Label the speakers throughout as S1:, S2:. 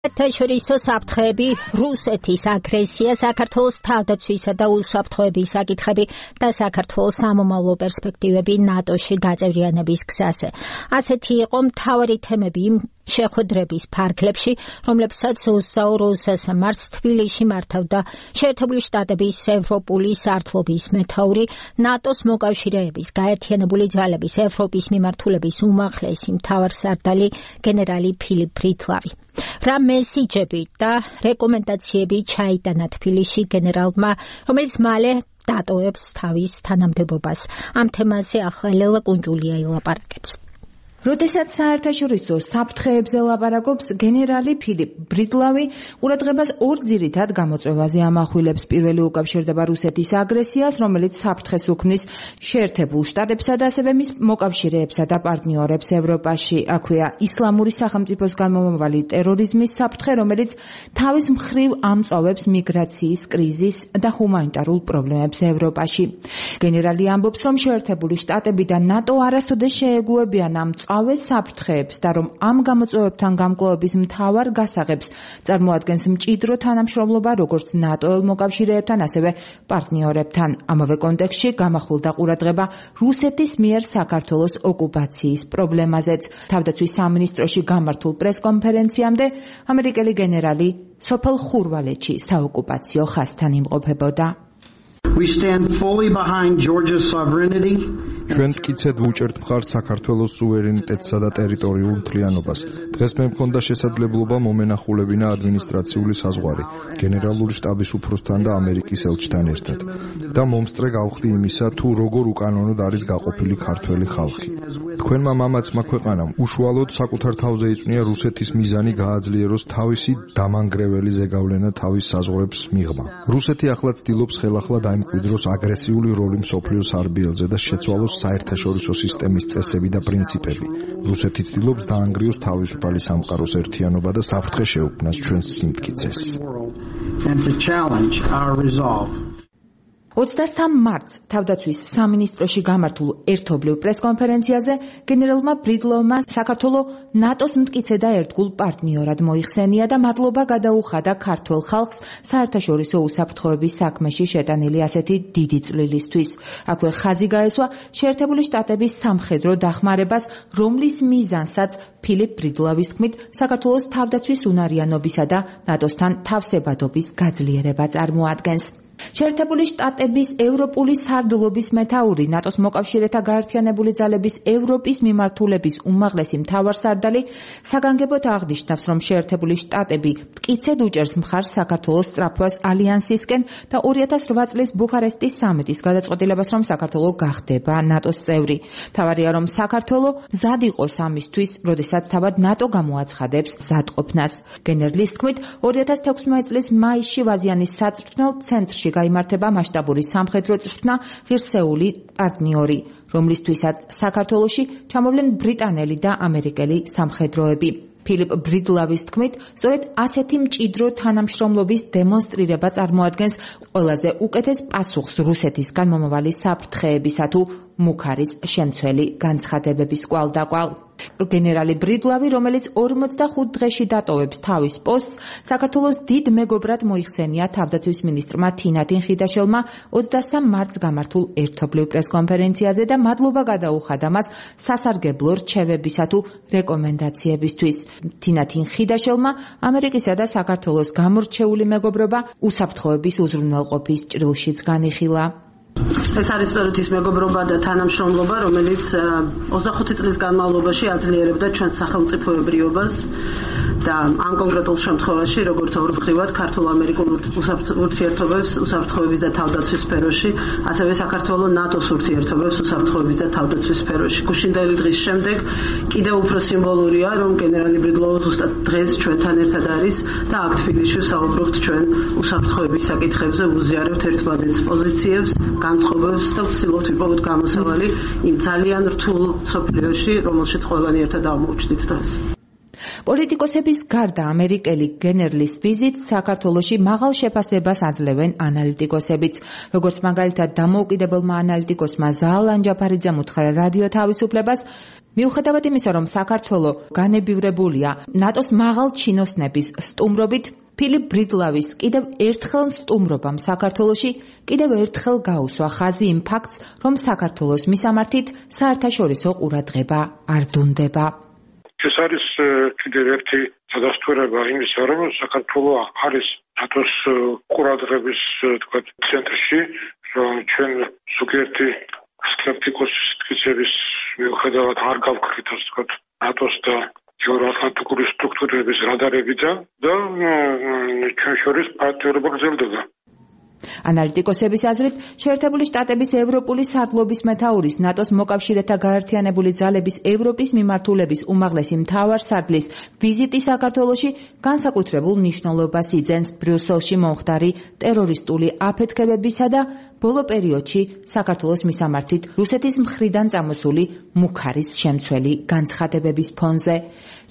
S1: საერთაშორისო საფრთხეები, რუსეთის აგრესია, საქართველოს თავდაცვისა და უსაფრთხოების საკითხები და საქართველოს სამომავლო პერსპექტივები ნატოში გაწევრიანების გზაზე. ასეთი იყო მთავარი თემები იმ შეხვედრების ფარგლებში, რომლებსაც 22 მარტს თბილისში მართავდა შეერთებული შტატების ევროპული სარდლობის მეთაური, ნატოს მოკავშირეების გაერთიანებული ძალების ევროპის მიმართულების უმაღლესი მთავარსარდალი გენერალი ფილიპ ბრიტლავი. რა მესიჯები და რეკომენდაციები ჩაიტანა თბილისში გენერალმა, რომელიც მალე დატოვებს თავის თანამდებობას. ამ თემაზე ახლა ლელა კუნჯულია ილაპარაკებს.
S2: როდესაც საერთაშორისო საფრთხეებზე ლაპარაკობს, გენერალი ფილიპ ბრიტლავი ყურადღებას ორ ძირითად გამოწვევაზე ამახვილებს. პირველი უკავშირდება რუსეთის აგრესიას, რომელიც საფრთხეს უქმნის შეერთებულ შტატებსა და ასევე მის მოკავშირეებსა და პარტნიორებს ევროპაში. აქვეა ისლამური სახელმწიფოს გამომავალი ტერორიზმის საფრთხე, რომელიც თავის მხრივ ამწვავებს მიგრაციის კრიზისს და ჰუმანიტარულ პრობლემებს ევროპაში. გენერალი ამბობს, რომ შეერთებული შტატები და ნატო არასოდეს შეეგუებიან ამ წავეს საფრთხეებს და რომ ამ გამოწვევებთან გამკლავების მთავარ გასაღებს წარმოადგენს მჭიდრო თანამშრომლობა როგორც ნატოელ მოკავშირეებთან, ასევე პარტნიორებთან. ამავე კონტექსტში გამახვილდა ყურადღება რუსეთის მიერ საქართველოს ოკუპაციის პრობლემაზეც. თავდაცვის სამინისტროში გამართულ პრესკონფერენციამდე ამერიკელი გენერალი სოფელ ხურვალეთში საოკუპაციო ხაზთან იმყოფებოდა.
S3: We stand fully behind Georgia's sovereignty.
S4: ჩვენ მტკიცედ ვუჭერთ მხარს საქართველოს სუვერენიტეტსა და ტერიტორიულ მთლიანობას. დღეს მე მქონდა შესაძლებლობა მომენახულებინა ადმინისტრაციული საზღვარი გენერალური შტაბის უფროსთან და ამერიკის ელჩთან ერთად და მომსწრე გავხდი იმისა, თუ როგორ უკანონოდ არის გაყოფილი ქართველი ხალხი. თქვენმა მამაცმა ქვეყანამ უშუალოდ საკუთარ თავზე იწვნია რუსეთის მიზანი გააძლიეროს თავისი დამანგრეველი ზეგავლენა თავის საზღვრებს მიღმა. რუსეთი ახლა ცდილობს ხელახლა დაიმკვიდროს აგრესიული როლი მსოფლიოს არბიელზე და შეცვალოს საერთაშორისო სისტემის წესები და პრინციპები. რუსეთი ცდილობს დაანგრიოს თავისუფალი სამყაროს ერთიანობა და საფრთხე შეუქმნას ჩვენს სიმტკიცეს.
S2: 23 მარტს თავდაცვის სამინისტროში გამართულ ერთობლივ პრესკონფერენციაზე გენერალმა ბრიტლავმა საქართველოს ნატოს მტკიცე და ერთგულ პარტნიორად მოიხსენია და მადლობა გადაუხადა ქართველ ხალხს საერთაშორისო უსაფრთხოების საქმეში შეტანილი ასეთი დიდი წვლილისთვის. აქვე ხაზი გაესვა შეერთებული შტატების სამხედრო დახმარებას, რომლის მიზანსაც ფილიპ ბრიტლავის თქმით საქართველოს თავდაცვის უნარიანობისა და ნატოსთან თავსებადობის გაძლიერება წარმოადგენს. შეერთებული შტატების ევროპული სარდლობის მეთაური, ნატოს მოკავშირეთა გაერთიანებული ძალების ევროპის მიმართულების უმაღლესი მთავარსარდალი საგანგებოდ აღნიშნავს, რომ შეერთებული შტატები მტკიცედ უჭერს მხარს საქართველოს სწრაფვას ალიანსისკენ და 2008 წლის ბუქარესტის სამიტის გადაწყვეტილებას, რომ საქართველო გახდება ნატოს წევრი. მთავარია, რომ საქართველო მზად იყოს ამისთვის, როდესაც თავად ნატო გამოაცხადებს მზადყოფნას. გენერლის თქმით, 2016 წლის მაისში ვაზიანის საწვრთნელ ცენტრში გაიმართება მასშტაბური სამხედრო წვრთნა ღირსეული პარტნიორი, რომლისთვისაც საქართველოში ჩამოვლენ ბრიტანელი და ამერიკელი სამხედროები. ფილიპ ბრიტლავის თქმით, სწორედ ასეთი მჭიდრო თანამშრომლობის დემონსტრირება წარმოადგენს ყველაზე უკეთეს პასუხს რუსეთისგან მომავალი საფრთხეებისა თუ მუქარის შემცველი განცხადებების კვალდაკვალ. გენერალი ბრიტლავი, რომელიც 45 დღეში დატოვებს თავის პოსტს, საქართველოს დიდ მეგობრად მოიხსენია თავდაცვის მინისტრმა თინათინ ხიდაშელმა 23 მარტს გამართულ ერთობლივ პრესკონფერენციაზე და მადლობა გადაუხადა მას სასარგებლო რჩევებისა თუ რეკომენდაციებისთვის. თინათინ ხიდაშელმა ამერიკისა და საქართველოს გამორჩეული მეგობრობა უსაფრთხოების უზრუნველყოფის ჭრილშიც განიხილა.
S5: ეს არის სწორედ ის მეგობრობა და თანამშრომლობა, რომელიც 25 წლის განმავლობაში აძლიერებდა ჩვენს სახელმწიფოებრიობას და ამ კონკრეტულ შემთხვევაში, როგორც ორფრივად ქართულ-ამერიკულ ურთიერთობებს უსაფრთხოების და თავდაცვის სფეროში, ასევე საქართველოს-ნატოს ურთიერთობებს უსაფრთხოების და თავდაცვის სფეროში. გუშინდელი დღის შემდეგ კიდევ უფრო სიმბოლურია, რომ გენერალი ბრიტლავი ზუსტად დღეს ჩვენთან ერთად არის და აქ თბილისში ვსაუბრობთ ჩვენ უსაფრთხოების საკითხებზე, ვუზიარებთ ერთმანეთს პოზიციებს, განწყობებს და ვცდილობთ ვიპოვოთ გამოსავალი იმ ძალიან რთულ სოფლიოში, რომელშიც ყველანი ერთად აღმოჩნდით დღეს.
S2: პოლიტიკოსების გარდა ამერიკელი გენერლის ვიზიტს საქართველოში მაღალ შეფასებას აძლევენ ანალიტიკოსებიც. როგორც მაგალითად დამოუკიდებელმა ანალიტიკოსმა ზაალ ანჯაფარიძემ უთხრა რადიო თავისუფლებას, მიუხედავად იმისა, რომ საქართველო განებივრებულია ნატოს მაღალ ჩინოსნების სტუმრობით, ფილიპ ბრიდლავის კიდევ ერთხელ სტუმრობამ საქართველოში კიდევ ერთხელ გაუსვა ხაზი იმ ფაქტს, რომ საქართველოს მისამართით საერთაშორისო ყურადღება არ დუნდება.
S6: ეს არის კიდევ ერთი სადასტურება იმისა, რომ საქართველო არის ნატოს ყურადღების ცენტრში, რომ ჩვენ ზოგიერთი სკეპტიკოსის თქმის მიუხედავად არ გავკრით ნატოს და ევროატლანტიკური სტრუქტურების რადარებიდან და ჩვენ შორის პარტნიორობა გრძელდება.
S2: ანალიტიკოსების აზრით, შეერთებული შტატების ევროპული სარდლობის მეთაურის ნატოს მოკავშირეთა გაერთიანებული ძალების ევროპის მიმართულების უმაღლესი მთავარსარდლის ვიზიტი საქართველოში განსაკუთრებულ მნიშვნელობას იძენს ბრიუსელში მომხდარი ტერორისტული აფეთქებებისა და ბოლო პერიოდში საქართველოს მისამართით რუსეთის მხრიდან წამოსული მუქარის შემცველი განცხადებების ფონზე.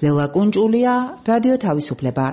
S2: ლელა კუნჭულია, რადიო თავისუფლება.